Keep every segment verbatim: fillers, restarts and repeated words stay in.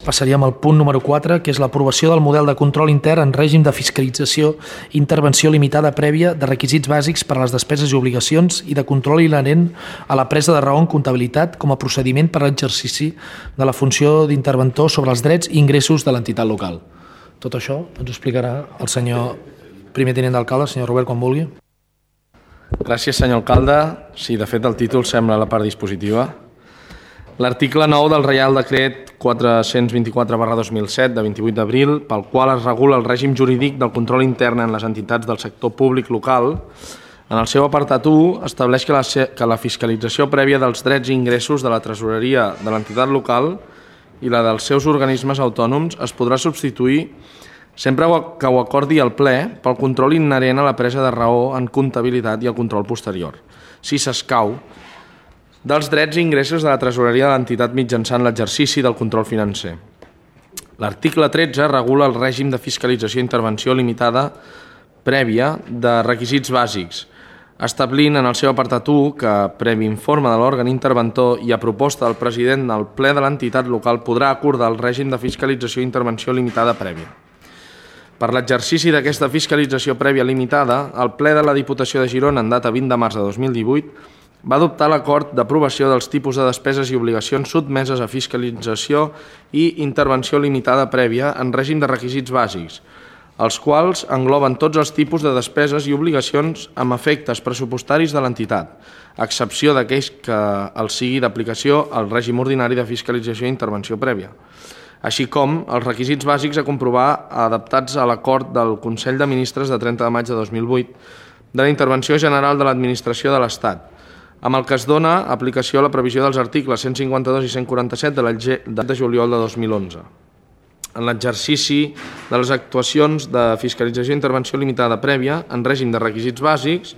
Passaríem al punt número quatre, que és l'aprovació del model de control intern en règim de fiscalització i intervenció limitada prèvia de requisits bàsics per a les despeses i obligacions i de control inherent a la presa de raó en comptabilitat com a procediment per a l'exercici de la funció d'interventor sobre els drets i ingressos de l'entitat local. Tot això ens ho explicarà el senyor primer tinent d'alcalde, el senyor Robert, quan vulgui. Gràcies, senyor alcalde. Sí, de fet, el títol sembla la part dispositiva. L'article nou del Reial Decret quatre-cents vint-i-quatre barra dos mil set de vint-i-vuit d'abril, pel qual es regula el règim jurídic del control intern en les entitats del sector públic local, en el seu apartat u estableix que la, que la fiscalització prèvia dels drets i ingressos de la tresoreria de l'entitat local i la dels seus organismes autònoms es podrà substituir sempre que ho acordi el ple pel control inherent a la presa de raó en comptabilitat i el control posterior, si s'escau, dels drets i ingressos de la tresoreria de l'entitat mitjançant l'exercici del control financer. L'article tretze regula el règim de fiscalització i intervenció limitada prèvia de requisits bàsics, establint en el seu apartat u que, previ informe de l'òrgan interventor i a proposta del president del ple de l'entitat local, podrà acordar el règim de fiscalització i intervenció limitada prèvia. Per l'exercici d'aquesta fiscalització prèvia limitada, el ple de la Diputació de Girona, en data vint de març de dos mil divuit, va adoptar l'acord d'aprovació dels tipus de despeses i obligacions sotmeses a fiscalització i intervenció limitada prèvia en règim de requisits bàsics, els quals engloben tots els tipus de despeses i obligacions amb efectes pressupostaris de l'entitat, a excepció d'aquells que els sigui d'aplicació al règim ordinari de fiscalització i intervenció prèvia, així com els requisits bàsics a comprovar adaptats a l'acord del Consell de Ministres de trenta de maig de dos mil vuit de la Intervenció General de l'Administració de l'Estat, amb el que es dona aplicació a la previsió dels articles cent cinquanta-dos i cent quaranta-set de la llei de juliol de dos mil onze. En l'exercici de les actuacions de fiscalització i intervenció limitada prèvia en règim de requisits bàsics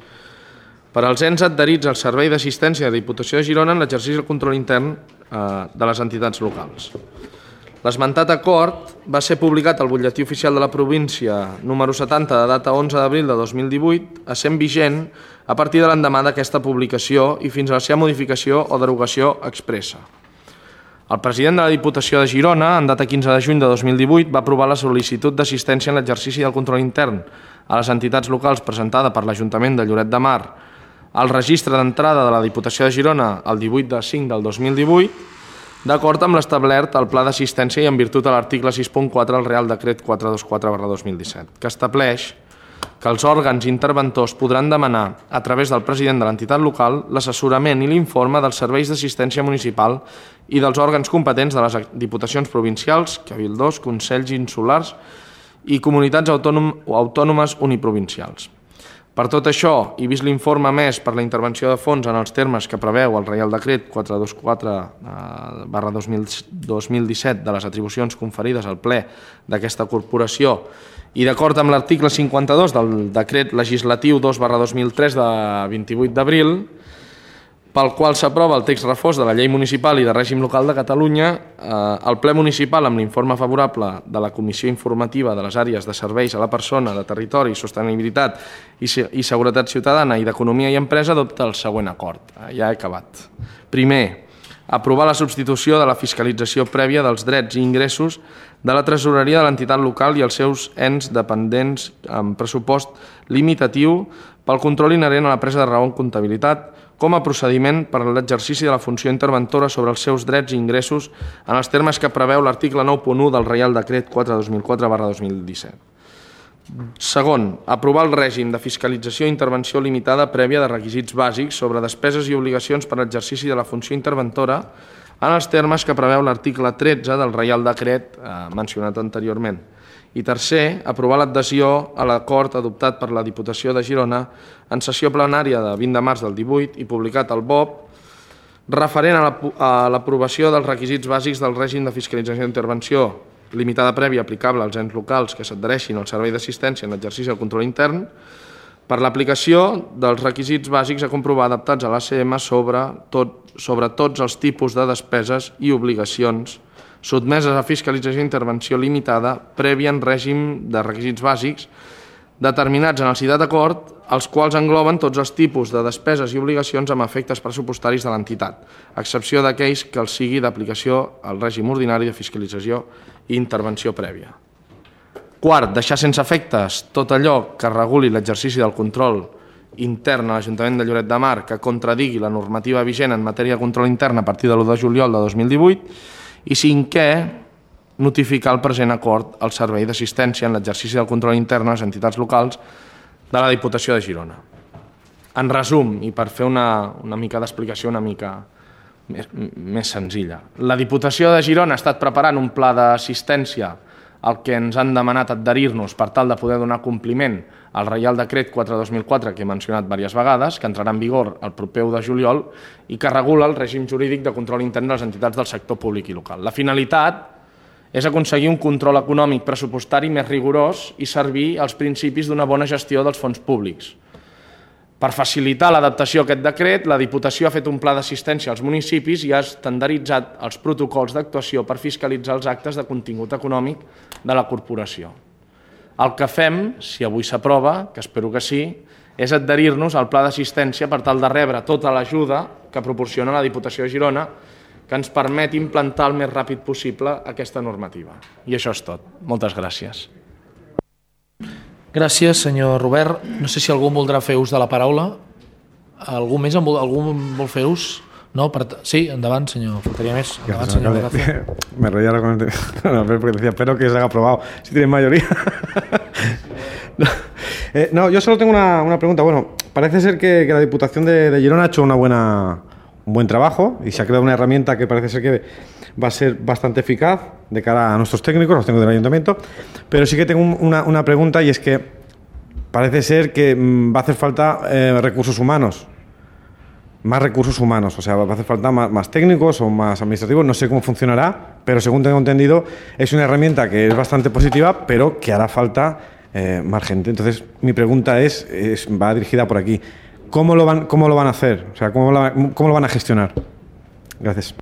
per als ens adherits al Servei d'Assistència de la Diputació de Girona en l'exercici del control intern de les entitats locals. L'esmentat acord va ser publicat al Butlletí Oficial de la Província número setanta de data onze d'abril de dos mil divuit, essent vigent a partir de l'endemà d'aquesta publicació i fins a la seva modificació o derogació expressa. El president de la Diputació de Girona, en data quinze de juny de dos mil divuit, va aprovar la sol·licitud d'assistència en l'exercici del control intern a les entitats locals presentada per l'Ajuntament de Lloret de Mar al registre d'entrada de la Diputació de Girona el divuit de cinc del dos mil divuit, d'acord amb l'establert al Pla d'Assistència i en virtut de l'article sis punt quatre del Real Decret quatre-cents vint-i-quatre barra dos mil disset, que estableix que els òrgans interventors podran demanar, a través del president de l'entitat local, l'assessorament i l'informe dels serveis d'assistència municipal i dels òrgans competents de les diputacions provincials, cabildors, consells insulars i comunitats autònomes uniprovincials. Per tot això, i vist l'informe emès per la intervenció de fons en els termes que preveu el Reial Decret quatre-cents vint-i-quatre barra dos mil disset de les atribucions conferides al ple d'aquesta corporació i d'acord amb l'article cinquanta-dos del Decret Legislatiu dos barra dos mil tres de vint-i-vuit d'abril, pel qual s'aprova el text refós de la Llei Municipal i de Règim Local de Catalunya, el ple municipal, amb l'informe favorable de la Comissió Informativa de les Àrees de Serveis a la Persona, de Territori, Sostenibilitat i Seguretat Ciutadana i d'Economia i Empresa, adopta el següent acord. Ja he acabat. Primer, aprovar la substitució de la fiscalització prèvia dels drets i ingressos de la tresoreria de l'entitat local i els seus ens dependents amb pressupost limitatiu pel control inherent a la presa de raó en comptabilitat com a procediment per a l'exercici de la funció interventora sobre els seus drets i ingressos en els termes que preveu l'article nou punt u del Reial Decret quatre dos mil quatre barra dos mil disset. Segon, aprovar el règim de fiscalització i intervenció limitada prèvia de requisits bàsics sobre despeses i obligacions per a l'exercici de la funció interventora en els termes que preveu l'article tretze del Reial Decret mencionat anteriorment. I tercer, aprovar l'adhesió a l'acord adoptat per la Diputació de Girona en sessió plenària de vint de març del divuit i publicat al B O P referent a l'aprovació dels requisits bàsics del règim de fiscalització i intervenció limitada prèvia aplicable als ens locals que s'adhereixin al servei d'assistència en l'exercici del control intern per l'aplicació dels requisits bàsics a comprovar adaptats a l'A C M sobre, tot, sobre tots els tipus de despeses i obligacions sotmeses a fiscalització i intervenció limitada prèvia en règim de requisits bàsics determinats en el citat acord, els quals engloben tots els tipus de despeses i obligacions amb efectes pressupostaris de l'entitat, a excepció d'aquells que els sigui d'aplicació al règim ordinari de fiscalització i intervenció prèvia. Quart, deixar sense efectes tot allò que reguli l'exercici del control intern a l'Ajuntament de Lloret de Mar que contradigui la normativa vigent en matèria de control intern a partir de l'u de juliol de dos mil divuit. I cinquè, notificar el present acord al servei d'assistència en l'exercici del control intern a les entitats locals de la Diputació de Girona. En resum, i per fer una, una mica d'explicació una mica més, més senzilla, la Diputació de Girona ha estat preparant un pla d'assistència al que ens han demanat adherir-nos per tal de poder donar compliment al Reial Decret quatre dos mil quatre, que he mencionat diverses vegades, que entrarà en vigor el proper u de juliol i que regula el règim jurídic de control intern de les entitats del sector públic i local. La finalitat és aconseguir un control econòmic pressupostari més rigorós i servir als principis d'una bona gestió dels fons públics. Per facilitar l'adaptació a aquest decret, la Diputació ha fet un pla d'assistència als municipis i ha estandarditzat els protocols d'actuació per fiscalitzar els actes de contingut econòmic de la corporació. El que fem, si avui s'aprova, que espero que sí, és adherir-nos al pla d'assistència per tal de rebre tota l'ajuda que proporciona la Diputació de Girona que ens permet implantar el més ràpid possible aquesta normativa. I això és tot. Moltes gràcies. Gràcies, senyor Robert. No sé si algú voldrà fer ús de la paraula. Algú més en vol, algú vol fer ús? No, per... Sí, endavant, senyor. Faltaria més. Endavant, senyor Gracia. Me reía con el... no, porque decía, espero que se haya aprobado. Si tienen mayoría. no, eh, no, yo solo tengo una, una pregunta. Bueno, parece ser que, que la Diputación de, de Girona ha hecho una buena, un buen trabajo y se ha creado una herramienta que parece ser que va a ser bastante eficaz de cara a nuestros técnicos, los técnicos del ayuntamiento. Pero sí que tengo una, una pregunta y es que parece ser que va a hacer falta eh, recursos humanos. Más recursos humanos, o sea, va a hacer falta más, más técnicos o más administrativos, no sé cómo funcionará, pero según tengo entendido es una herramienta que es bastante positiva, pero que hará falta eh, más gente. Entonces, mi pregunta es, es, va dirigida por aquí, ¿cómo lo van, cómo lo van a hacer? O sea, ¿cómo lo, cómo lo van a gestionar? Gracias.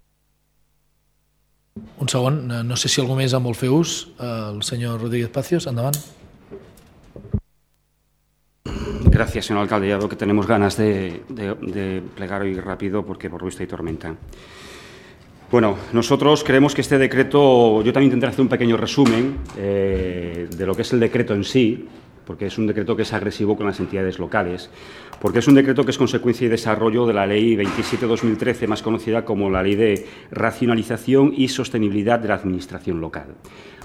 Un segon, no sé si algú més en vol fer ús. El senyor Rodríguez Pacios, endavant. Gracias, señor alcalde. Ya veo que tenemos ganas de, de, de plegar hoy rápido porque por lo visto hay tormenta. Bueno, nosotros creemos que este decreto, yo también intentaré hacer un pequeño resumen eh, de lo que es el decreto en sí, porque es un decreto que es agresivo con las entidades locales, porque es un decreto que es consecuencia y desarrollo de la Ley veintisiete barra dos mil trece, más conocida como la Ley de Racionalización y Sostenibilidad de la Administración Local.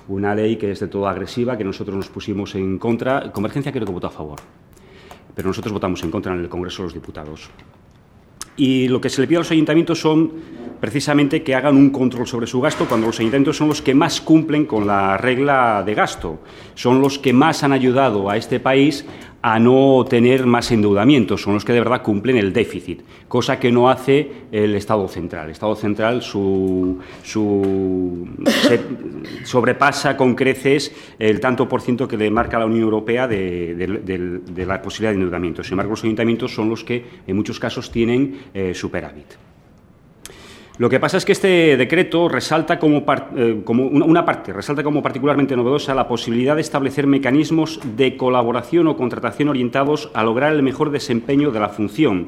Una ley que es de todo agresiva, que nosotros nos pusimos en contra. Convergencia creo que votó a favor, pero nosotros votamos en contra en el Congreso de los Diputados. Y lo que se le pide a los ayuntamientos son precisamente que hagan un control sobre su gasto, cuando los ayuntamientos son los que más cumplen con la regla de gasto, son los que más han ayudado a este país a no tener más endeudamientos, son los que de verdad cumplen el déficit, cosa que no hace el Estado central. El Estado central su, su, se sobrepasa con creces el tanto por ciento que le marca la Unión Europea de, de, de, de la posibilidad de endeudamiento. Sin embargo, los ayuntamientos son los que en muchos casos tienen eh, superávit. Lo que pasa es que este decreto resalta como, par, eh, como una, una parte, resalta como particularmente novedosa la posibilidad de establecer mecanismos de colaboración o contratación orientados a lograr el mejor desempeño de la función,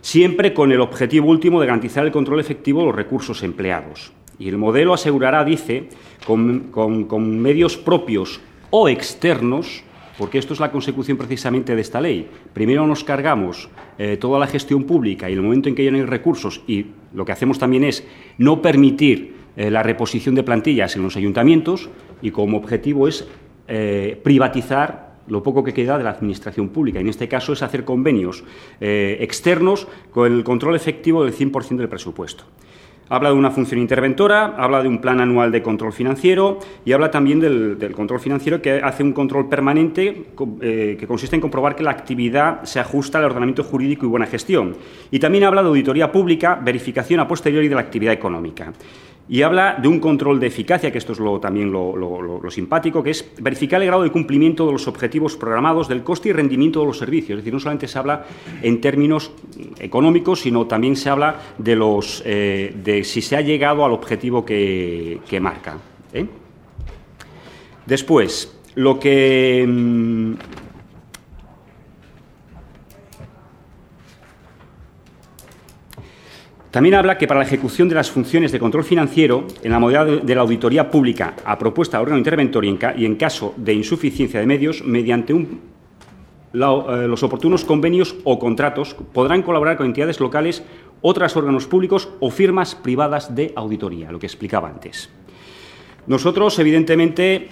siempre con el objetivo último de garantizar el control efectivo de los recursos empleados. Y el modelo asegurará, dice, con, con, con medios propios o externos, porque esto es la consecución precisamente de esta ley. Primero nos cargamos eh, toda la gestión pública y en el momento en que ya no hay recursos, y lo que hacemos también es no permitir eh, la reposición de plantillas en los ayuntamientos, y como objetivo es eh, privatizar lo poco que queda de la administración pública. Y en este caso es hacer convenios eh, externos con el control efectivo del cien por ciento del presupuesto. Habla de una función interventora, habla de un plan anual de control financiero y habla también del, del control financiero, que hace un control permanente eh, que consiste en comprobar que la actividad se ajusta al ordenamiento jurídico y buena gestión. Y también habla de auditoría pública, verificación a posteriori de la actividad económica. Y habla de un control de eficacia, que esto es lo, también lo, lo, lo, lo simpático, que es verificar el grado de cumplimiento de los objetivos programados, del coste y rendimiento de los servicios. Es decir, no solamente se habla en términos económicos, sino también se habla de, los, eh, de si se ha llegado al objetivo que, que marca. ¿eh? Después, lo que... También habla que para la ejecución de las funciones de control financiero, en la modalidad de la auditoría pública a propuesta del órgano interventor y en, ca y en caso de insuficiencia de medios, mediante un, la, eh, los oportunos convenios o contratos, podrán colaborar con entidades locales, otros órganos públicos o firmas privadas de auditoría, lo que explicaba antes. Nosotros, evidentemente,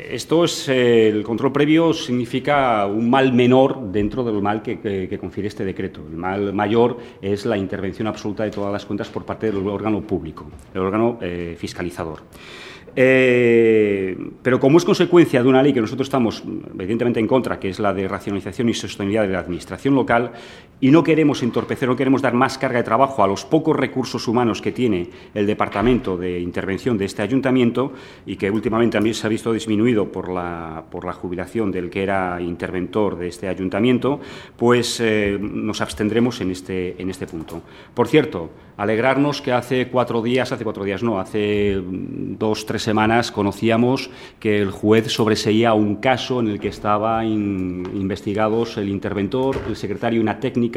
esto es eh, el control previo significa un mal menor dentro del mal que, que, que confiere este decreto. El mal mayor es la intervención absoluta de todas las cuentas por parte del órgano público, el órgano eh, fiscalizador. Eh, pero como es consecuencia de una ley que nosotros estamos evidentemente en contra, que es la de racionalización y sostenibilidad de la administración local, y no queremos entorpecer, no queremos dar más carga de trabajo a los pocos recursos humanos que tiene el Departamento de Intervención de este Ayuntamiento y que últimamente también se ha visto disminuido por la, por la jubilación del que era interventor de este Ayuntamiento, pues eh, nos abstendremos en este, en este punto. Por cierto, alegrarnos que hace cuatro días, hace cuatro días no, hace dos, tres semanas conocíamos que el juez sobreseía un caso en el que estaban in, investigados el interventor, el secretario y una técnica,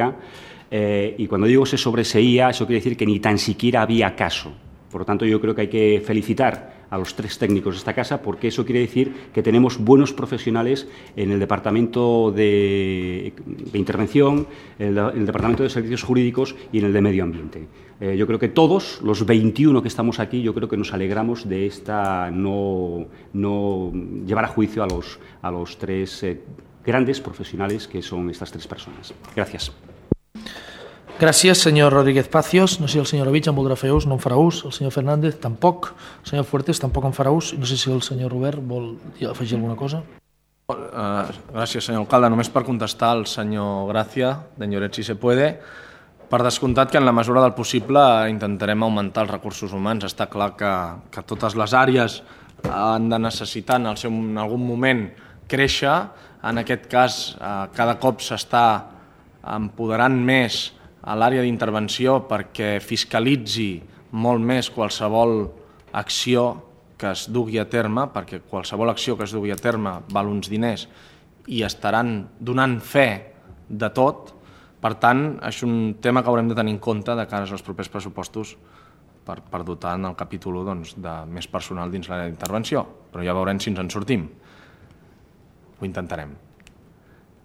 eh, y cuando digo se sobreseía, eso quiere decir que ni tan siquiera había caso. Por lo tanto, yo creo que hay que felicitar a los tres técnicos de esta casa porque eso quiere decir que tenemos buenos profesionales en el Departamento de, de Intervención, en el, en el Departamento de Servicios Jurídicos y en el de Medio Ambiente. Eh, yo creo que todos, los veintiuno que estamos aquí, yo creo que nos alegramos de esta no, no llevar a juicio a los, a los tres eh, grandes profesionales que son estas tres personas. Gracias. Gràcies, senyor Rodríguez Pacios. No sé si el senyor Ovich en voldrà fer ús, no en farà ús. El senyor Fernández, tampoc. El senyor Fuertes, tampoc en farà ús. No sé si el senyor Robert vol afegir alguna cosa. Uh, gràcies, senyor alcalde. Només per contestar al senyor Gràcia, d'Enyoret, si se puede. Per descomptat que en la mesura del possible intentarem augmentar els recursos humans. Està clar que, que totes les àrees han de necessitar en, el seu, en algun moment créixer. En aquest cas, uh, cada cop s'està empoderant més a l'àrea d'intervenció perquè fiscalitzi molt més qualsevol acció que es dugui a terme, perquè qualsevol acció que es dugui a terme val uns diners i estaran donant fe de tot. Per tant, és un tema que haurem de tenir en compte de cara als propers pressupostos per, per dotar en el capítol u doncs, de més personal dins l'àrea d'intervenció. Però ja veurem si ens en sortim. Ho intentarem.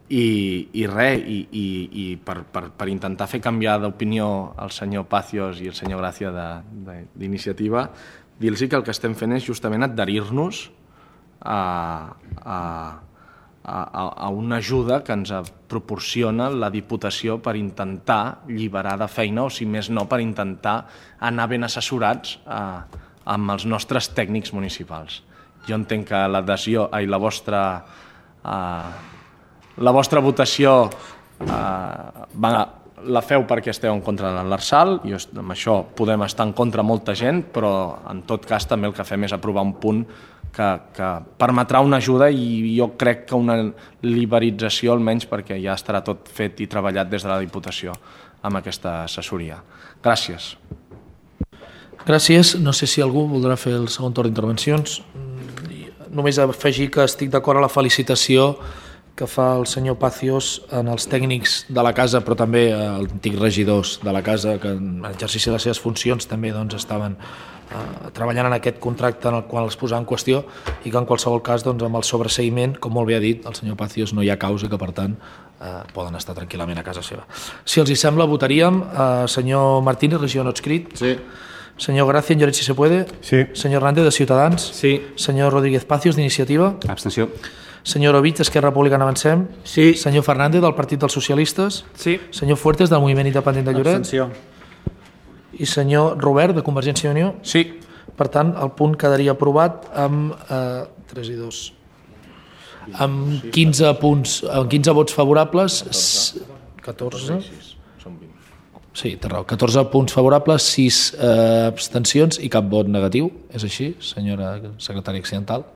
I, i res, i, i, i per, per, per intentar fer canviar d'opinió el senyor Pacios i el senyor Gràcia d'Iniciativa, dir-los que el que estem fent és justament adherir-nos a, a, a, a una ajuda que ens proporciona la Diputació per intentar alliberar de feina, o si més no, per intentar anar ben assessorats a, amb els nostres tècnics municipals. Jo entenc que l'adhesió i la vostra... A, La vostra votació eh, va, la feu perquè esteu en contra de l'Arsal, i amb això podem estar en contra molta gent, però en tot cas també el que fem és aprovar un punt que, que permetrà una ajuda i jo crec que una liberalització almenys perquè ja estarà tot fet i treballat des de la Diputació amb aquesta assessoria. Gràcies. Gràcies. No sé si algú voldrà fer el segon torn d'intervencions. Només afegir que estic d'acord a la felicitació que fa el senyor Pacios en els tècnics de la casa, però també els antics regidors de la casa que en exercici de les seves funcions també doncs, estaven eh, treballant en aquest contracte en el qual es posava en qüestió i que en qualsevol cas doncs, amb el sobreseïment, com molt bé ha dit el senyor Pacios, no hi ha causa que per tant eh, poden estar tranquil·lament a casa seva. Si els hi sembla, votaríem. Eh, senyor Martínez, regidor no adscrit. Sí. Senyor Gràcia, en Lloret, si se puede. Sí. Senyor Hernández, de Ciutadans. Sí. Senyor Rodríguez Pacios, d'Iniciativa. Abstenció. Senyor Ovich, d'Esquerra Republicana Avancem. Sí. Senyor Fernández, del Partit dels Socialistes. Sí. Senyor Fuertes, del Moviment Independent de Lloret. Abstenció. I senyor Robert, de Convergència i Unió. Sí. Per tant, el punt quedaria aprovat amb eh, tres i dos. Amb quinze punts, amb quinze vots favorables, catorze. Sí, té raó. catorze punts favorables, sis eh, abstencions i cap vot negatiu. És així, senyora secretària accidental?